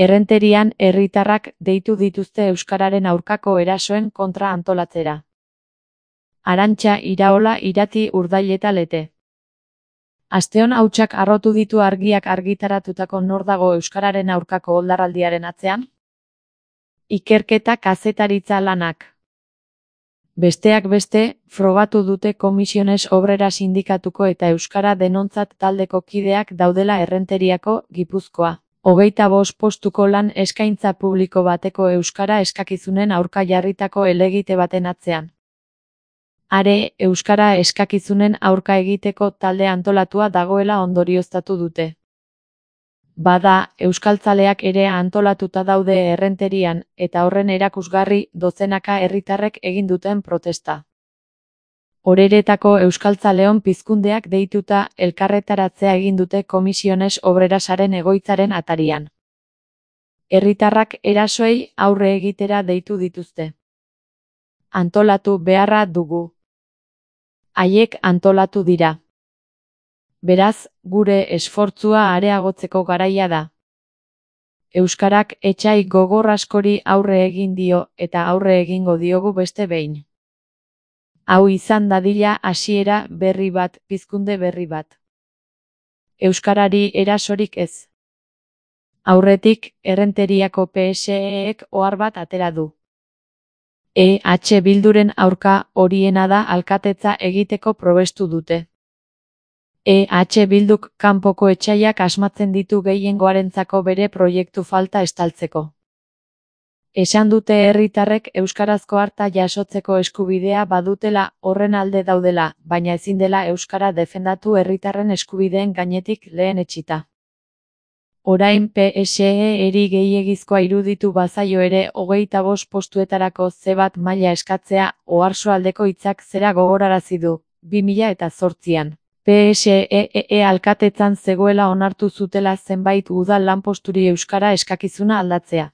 Errenterian herritarrak deitu dituzte euskararen aurkako erasoen kontra antolatzera. Arantxa, Iraola, Irati, Urdail eta Lete. Asteon hautsak harrotu ditu Argiak argitaratutako Nor dago euskararen aurkako oldarraldiaren atzean? Ikerketa kazetaritza lanak. Besteak beste, frogatu dute Komisiones Obrera sindikatuko eta Euskara Denontzat taldeko kideak daudela Errenteriako, Gipuzkoa. 25 postuko lan eskaintza publiko bateko euskara eskakizunen aurka jarritako helegite baten atzean. Are, euskara eskakizunen aurka egiteko talde antolatua dagoela ondorioztatu dute. Bada, euskaltzaleak ere antolatuta daude Errenterian, eta horren erakusgarri dozenaka herritarrek egin duten protesta. Oreretako euskaltzaleon pizkundeak deituta elkarretaratzea egin dute Komisiones Obrerasaren egoitzaren atarian. Herritarrak erasoei aurre egitera deitu dituzte. Antolatu beharra dugu. Haiek antolatu dira. Beraz, gure esfortzua areagotzeko garaia da. Euskarak etsai gogor askori aurre egin dio eta aurre egingo diogu beste behin. Hau izan dadila hasiera berri bat, pizkunde berri bat. Euskarari erasorik ez. Aurretik, Errenteriako PSEek ohar bat atera du. EH Bilduren aurka horiena da alkatetza egiteko probestu dute. EH Bilduk kanpoko etsaiak asmatzen ditu gehiengoarentzako bere proiektu falta estaltzeko. Esan dute herritarrek euskarazko harta jasotzeko eskubidea badutela, horren alde daudela, baina ezin dela euskara defendatu herritarren eskubideen gainetik lehen etsita. Orain PSE-eri gehiegizkoa iruditu bazaio ere 25 postuetarako C1 maila eskatzea, Oarsoaldeko hitzak zera gogorarazi du, 2008an. PSE alkatetzan zegoela onartu zutela zenbait udal lanposturi euskara eskakizuna aldatzea.